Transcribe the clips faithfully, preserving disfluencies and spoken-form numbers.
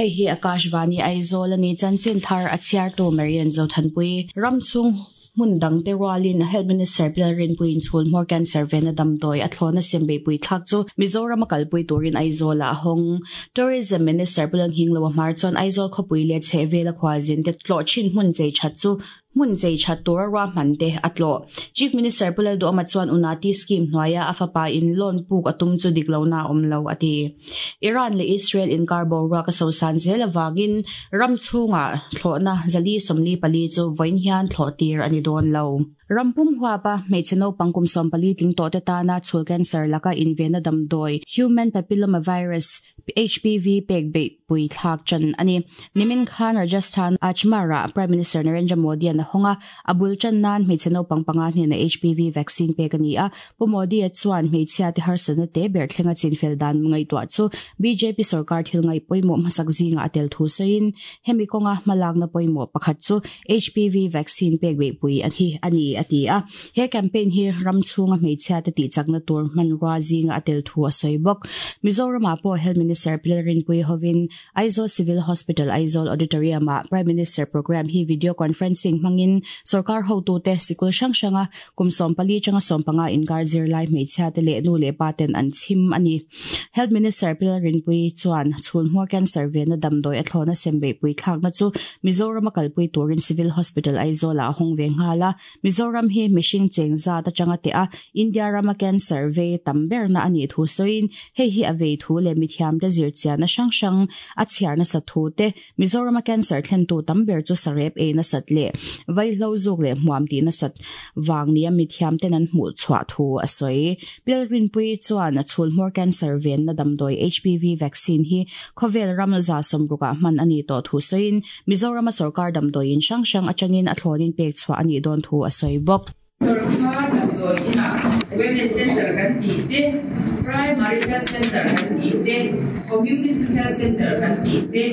Hei hi Akashvani Aizawl ani chanchin thar a chhiartu Marian Zothanpui ramchhung hmun dang te rualin Health Minister Pilalrin puin chhul hmawr cancer vena damdawi a thlawna sembe pui thlak chu Mizoram a kalpui turin Aizawl ah hawng. Tourism Minister Pulang Hinglo a hmar chuan Aizawl khawpui leh chhehvel a khualzin te tlawh thin hmun chei that chu hmun chei that tura ruahman te a tlawh. Chief Minister Pulal Duhoma chuan Unati scheme hnuaia a fapa in loan puk a tum chu dik lo na awm lo a ti. Iran leh Israel inkar boruak a sosan zel awangin ram chhunga thlawhna zali sawmli pali chu vawiin hian thlawh tir a ni dawn lo. Rampum huapa hmeichhe naupang kum sawm pali tling tawh te tana chhul cancer laka invena damdawi human papillomavirus H P V pek beih pui thlak chan ani. Nimin khan Rajasthan Ajmer ah Prime Minister Narendra Modi an a hawnga a bul chan nan hmeichhe naupang panga hnena H P V vaccine pek ani a. Pu Modi a chuan hmeichhia te harsatna te ber thlenga chinfel dan ngaihtuah chu B J P sarkar thil ngai pawimawh hmasak zinga a tel thu sawiin hemi kawnga hmalakna pawimawh pakhat chu H P V vaccine pek beih pui a hi ani a ti a. He campaign hi ram chhunga hmeichhia te tihchakna tur hmanrua zinga a tel thu a sawi bawk. Mizoram ah pawh Health Minister Pilalrin Pui hovin Aizawl Civil Hospital Aizawl Auditorium ah Prime Minister program hi video conferencing hmangin sarkar hotu te sikul hrang hranga kum sawm pali changa sawm panga inkar zirlai hmeichhia te leh nu leh pa ten an chhim ani. Health Minister Pilalrin Pui chuan chhul hmawr cancer vena damdawi a thlawna sembe pui thlakna chu Mizoram a kalpui turin Civil Hospital Aizawl ah a hawng ve nghala. Mizoram hi mihring cheng zat atanga te a India rama cancer ve tam berna ani thu sawiin hei hi a vei thu leh mithiam te zir chiahna hrang hrang a chhiarna sa thu te Mizoram a cancer thlen tu tam ber chu sarep ei na sat leh vaihlo zuk leh hmuam tih na sat wang ni a mithiam ten an hmuh chhuah thu a sawi. Pilalrin Pui chuan a chhul hmawr cancer ven na damdawi H P V vaccine hi khawvel ram za sawmruk ah hman ani tawh thu sawiin Mizoram a sarkar damdawi in hrang hrang atangin a thlawnin pek chhuah ani dawn thu a sawi bawk. Sarkar damdawi inah Wellness Center kan tih te, Primary Health Center kan tih te, Community Health Center kan tih te,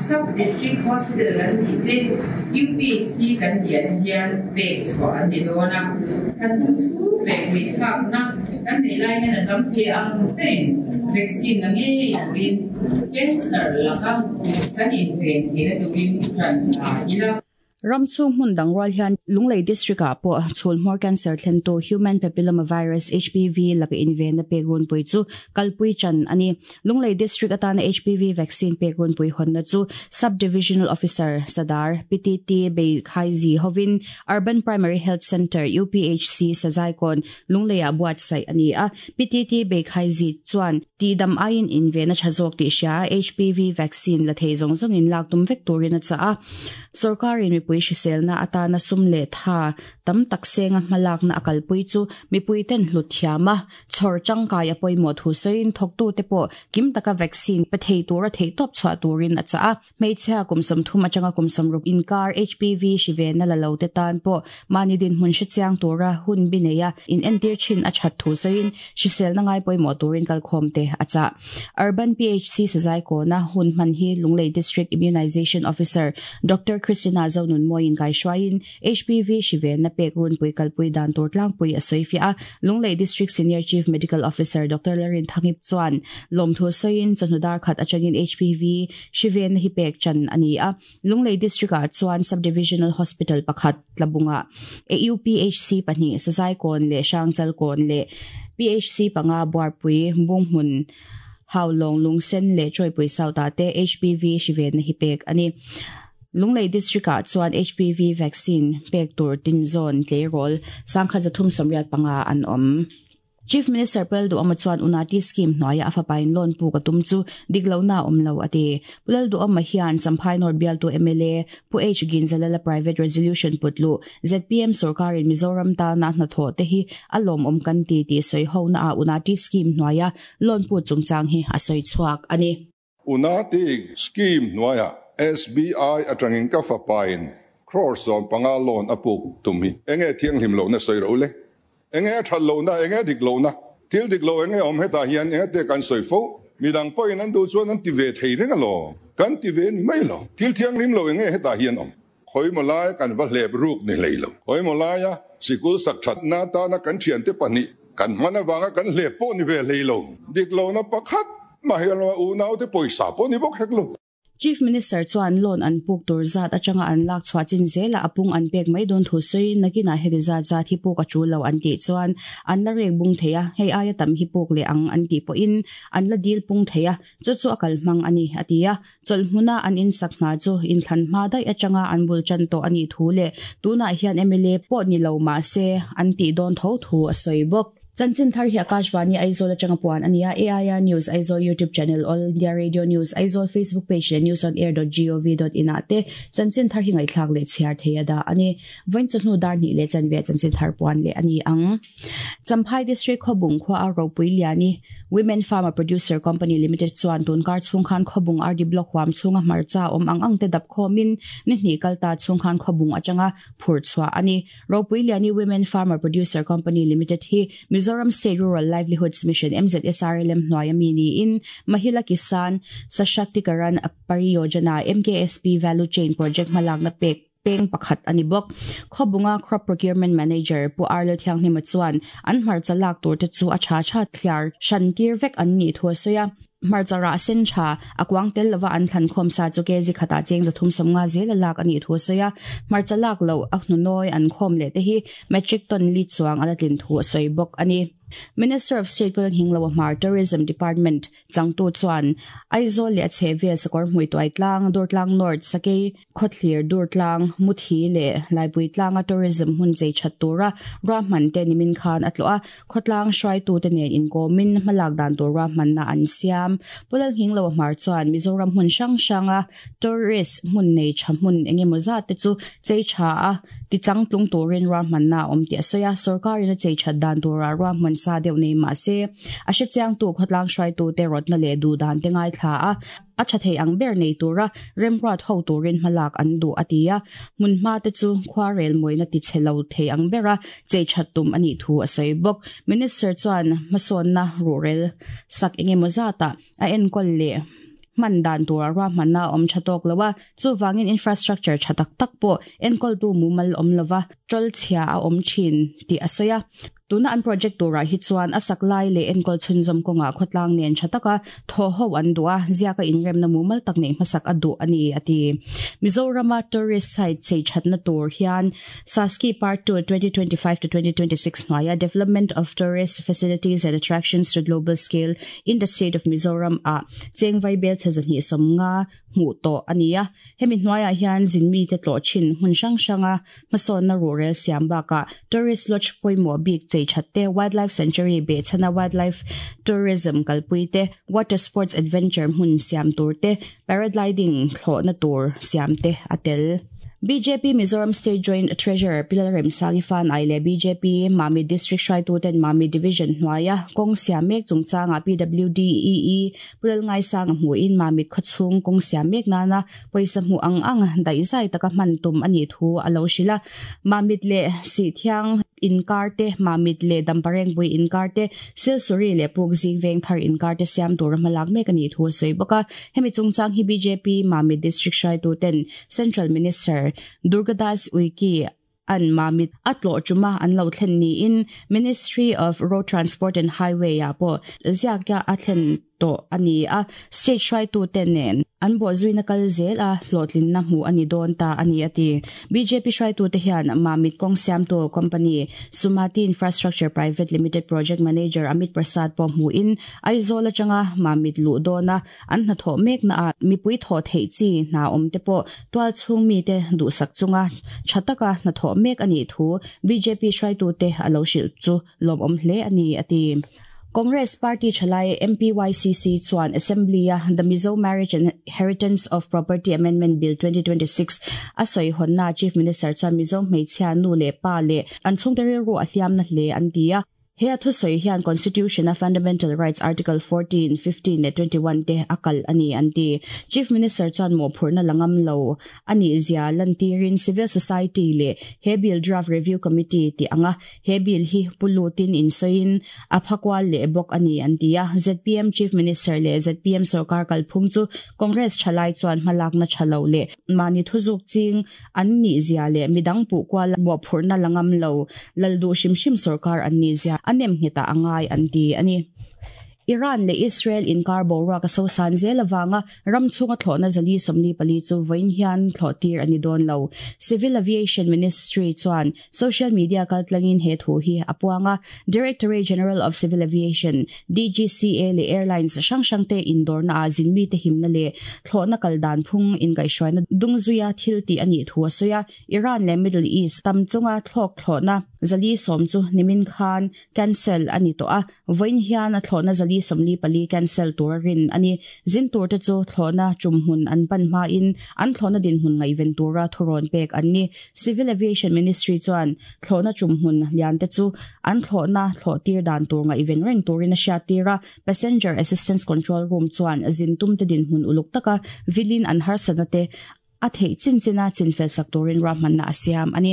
Sub-District Hospital kan tih te, U P H C kan tih an hian pek chhuah an ni dawn a. Kan thum chhung pek pui thlakna kan nei lai hian a tam thei ang berin vaccine la ngei turin cancer laka kan inven theihna turin ṭan la ila. Ramchhung hmun dang rual hian Lunglei District ah pawh chhul hmawr cancer thlen tu human papillomavirus H P V laka invena pek runpui chu kalpui chan ani. Lunglei District atana H P V vaccine pek runpui hawnna chu Sub-Divisional Officer Sadar P T T Bei Khaizi hovin Urban Primary Health Center U P H C Sazaikon Lunglei ah buatsaih ani a. P T T Bei Khaizi chuan ti dam aiin invena thazawk tih hria H P V vaccine la thei zawng zawngin lak tum vek turin a cha a. Sarkarin mipui hriselna atana sum leh tha tam tak senga hmalakna a kalpui chu mipui ten hlut thiama chhawr tangkai a pawimawh thu sawiin thawktu te pawh kim taka vaccine pe thei tura thei tawp chhuah turin a cha a. Hmeichhia kum sawmthum atanga kum sawmruk inkar H P V hrivena la lo te tan pawh mahni dinhmun hrechiang tura hun bi nei a in entir thin a that thu sawiin hriselna ngai pawimawh turin kalkhawm te a cha. Urban P H C Sazai kawna hun hman hi Lunglei District Immunization Officer Doctor Christina Zonun Moin Kai Shwain H P V hrivena pek runpui kalpui dan tur tlangpui a sawi fiah a. Lunglei District Senior Chief Medical Officer Doctor Larin Thangip chuan lawmthu sawiin chawhnu khat atangin H P V hrivena hi pek chan ani a. Lunglei District ah chuan Sub-Divisional Hospital pakhat tlabunga A U P H C pahnih Sazai kawn leh Hrangchal kawn leh P H C panga Buarpui Bunghmun Haulawng Lungsen leh Chawipui South ah te H P V hrivena hi pek ani. Lunglei District ah chuan H P V vaccine pek tur tin zawn tleirawl sangkhat zathum sawmriat panga an awm. Chief Minister Pulal Duhoma chuan Unati scheme hnuaia a fapa in loan puk a tum chu dik lo na awm lo a ti. Pulal Duhoma hian Champhai North Bialtu M L A Pu H Ginzalala private resolution putlu Z P M sarkarin Mizoram ta na hna thaw te hi a lawm awm kan ti ti sawi ho na a Unati scheme hnuaia loan pu chungchang hi a sawi chhuak ani. Unati scheme hnuaia S B I atangin ka fapa in crore sawm panga loan a puk tum hi enge thiang hlim lo na sawi ro le enge that lo na enge dik lo na thil dik lo enge awm heta hian enge te kan sawi fo midang pawhin an duh chuan an ti ve thei reng a lo kan ti ve ni mai lo thil thiang hlim lo enge heta hian awm khoi maw lai kan va hlep ruk ni hlei lo khoi maw laia sikul sak that na ta na kan thian te pahnih kan hman awanga kan hlep pawh ni ve hlei lo dik lo na pakhat ma hian lo u nau te pawisa pawh ni bawk hek lo. Chief Minister chuan loan an puk tur zat atanga an lak chhuah chin zela apung an pek mai don thu sei nakina heti zat zat hi puk a chu lo an ti chuan an la rek bung theia hei aia tam hi puk le ang an ti po in an la dil pung theia chu chu akal mang ani atia chol hmuna an in sakna chu in thlan hma dai atanga an bul chan to ani thu le tuna hian M L A pawh ni lo ma se an ti don tho thu a soi bawk. Chanchin thar hi Akashvani Aizawl atanga puan ania A I R News Aizawl YouTube channel All India Radio News Aizawl Facebook page le news on air dot gov dot in ate chanchin thar hi ngai thlak le chhiar theia da ani voin chunu dar ni le chanve chanchin thar puan le ani ang Champhai District khobung khwa a ropui liani Women Farmer Producer Company Limited chuan tunkar chungkhan khobung R D Block huam chunga marcha om ang ang te dap khomin ni hni kalta chungkhan khobung atanga phur chwa ani ropui liani Women Farmer Producer Company Limited hi Mizoram State Rural Livelihoods Mission M Z S R L M hnuaia mi ni in Mahila Kisan Sashaktikaran Pariyojana M K S P Value Chain Project malak na pek peng pakhat ani bok khobunga crop procurement manager pu Arlo Thiang ni chuan an hmar chalak tur te chu a cha cha thliar shantir vek an ni thua soya marchara sen tha akwang tel lova an thlan khom sa chu ke ji khata cheng za thum somnga zel lak ani thu soya marchalak lo a hnunoi an khom le te hi metric ton li chuang ala tlin thu soi bok ani Minister of State Pul Hinglo Mar Tourism Department Changtu chuan Aizawl le chhevel sakor hmui toai tlang Durtlang North Sakei Khotlir Durtlang Muthi le Laipui tlanga tourism hun chei thattura rahman te nimin khan atloa khotlang hrai tu te nen in komin malak dan tur rahman na an siam Pul Hinglo Mar chuan Mizoram hun sang sanga tourist hun nei tha hun engemaw zat te chu chei tha a ti changtlung turin rahman na om ti asoya sarkarin a chei that dan tura rahman sa deuh nei ma se a hre chiang tu khotlang hrai tu te rot na le du dan te ngai thla a a tha thei ang ber nei tura remrat ho turin hmalak an du atia mun ma te chu khwarel moina ti chhelo thei ang bera chei thattum ani thu a soi bok minister chuan mason na rural sak engemaw zata a enkol le man dan tura rahman na om thatok lawa chu wangin infrastructure thatak tak po enkol tu mumal om lawa chol chhia a om thin ti asoya tuna an project tura hi chuan asak lai le enkol chhunzom konga khotlang nen thataka tho ho an dua ziaka inrem na mumal tak nei hmasak adu ani ati Mizorama tourist site chei thatna tur hian Saski Part two twenty twenty-five to twenty twenty-six hnuaia development of tourist facilities and attractions to global scale in the state of Mizoram a chengvai bel chazan hi somnga hmu to ania hemi hnuaia hian zinmi te tlo chin hun sang sanga mason na rural siam baka tourist lodge poimo bik chei thatte wildlife sanctuary be chana wildlife tourism kalpui te water sports adventure hun siam tur te paragliding thlo na tur siam te atel B J P Mizoram State Joint Treasurer Pilar Remsangi Fan ai le B J P Mami District Hrai tu ten Mami Division hnuaia kong siam mek chungchanga P W D E E Pulal ngai sang hmu in Mami khawchhung kong siam mek nana pawisa hmu ang ang dai zai taka hman tum ani thu alo hrila Mamit le si thiang inkar te Mamit le Dampareng bui inkar te Silsuri le Pukzing veng thar inkar te siam tur hmalak mek ani thu soi bawka hemi chungchang hi B J P Mamit District Hrai tu ten Central Minister Durgadas Uiki an Mamit atlo chuma an lo thlen ni in Ministry of Road Transport and Highway a po ziakya a thlen to ani a state hrai tu ten nen an bo zuina kal zel a hlotlin na hmu ani don ta ani ati B J P hrai tu te hian Mamit kong siam to company Sumati Infrastructure Private Limited Project Manager Amit Prasad po hmu in Aizawl atanga Mamit lu dona an hna tho mek na a mipui tho thei chi na om te po twal chung mi te du sak chunga thataka hna tho mek ani thu B J P hrai tu te alo sil chu lom om hle ani ati Congress Party Chalai M P Y C C chuan Assembly the Mizo Marriage and Inheritance of Property Amendment Bill twenty twenty-six a soi honna Chief Minister chuan Mizo hmeichhia nu le pa le an chhungte rilru a hliam na hle an ti a he a thusoi hian Constitution a Fundamental Rights Article fourteen, fifteen le twenty-one te akal ani an ti Chief Minister chuan mo phurna langam lo ani zia lantirin Civil Society le he bill draft review committee ti anga he bill hi pulutin in soin aphakwal le bok ani an ti a Z P M Chief Minister le Z P M sarkar kalphung chu Congress chalai chuan hmalak na thalo le mani thuzuk ching an ni zia le midang pu kwal mo phurna langam lo laldu shim shim sarkar an ni zia anem hita angai anti ani Iran le Israel inkar boruak a sosan zel awanga ram chunga thlawhna zali sawmli pali chu vawiin hian thlawh tir ani dawn lo. Civil Aviation Ministry chuan social media kaltlangin he thu hi a puanga. Directorate General of Civil Aviation D G C A le airlines hrang hrang te indawr na a zin mi te himna le thlawhna kaldan phung in kaihhruaina dungzuia thil ti ani thu a sawi a. Iran le Middle East tam chunga thlawk thlawhna zali sawm chu nimin khan cancel ani to a, vawiin hian a thlawhna zali sawmli pali cancel tur rin ani. Zin tur te chu thlawhna tum hmun an pan hma in an thlawhna din hmun ngaiven tura thuron pek an ni. Civil Aviation Ministry chuan thlawhna tum hmun lian te chu an thlawhna thlawh tir dan tur ngaiven reng turin a hriat tira. Passenger Assistance Control Room chuan zin tum te din hmun uluk taka vilin an harsana te a thei chin china chin fel sak turin ra man na asiam ani.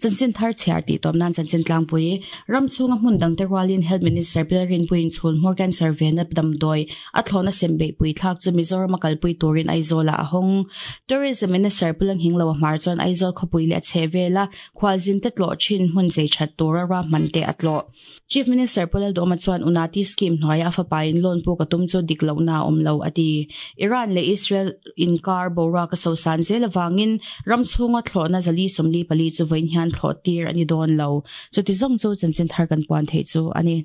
Chanchin thar chhiar ti tom nan chanchin tlangpui. Ram chunga hmun dang te rualin Health Minister Pilarin puin chhul Morgan survey na damdoi a thlona sembe pui thlak chu Mizoram kalpui turin Aizola a hong. Tourism Minister Pulang Hinglo mar chuan Aizawl khawpui le chhevela khwalzin te tlo chin hun chei that tura ra man te atlo. Chief Minister Pulal Doma chuan Unati scheme hnuaia a fapain loan pu ka tum chu dik lo na awm lo ati. Iran le Israel inkar boruak a sosan zel awangin ram chhunga thlawhna zali sawmli pali chu vawiin hian thlawh tir ani dawn lo. Chuti zawng chu chanchin thar kan puan thei chu ani.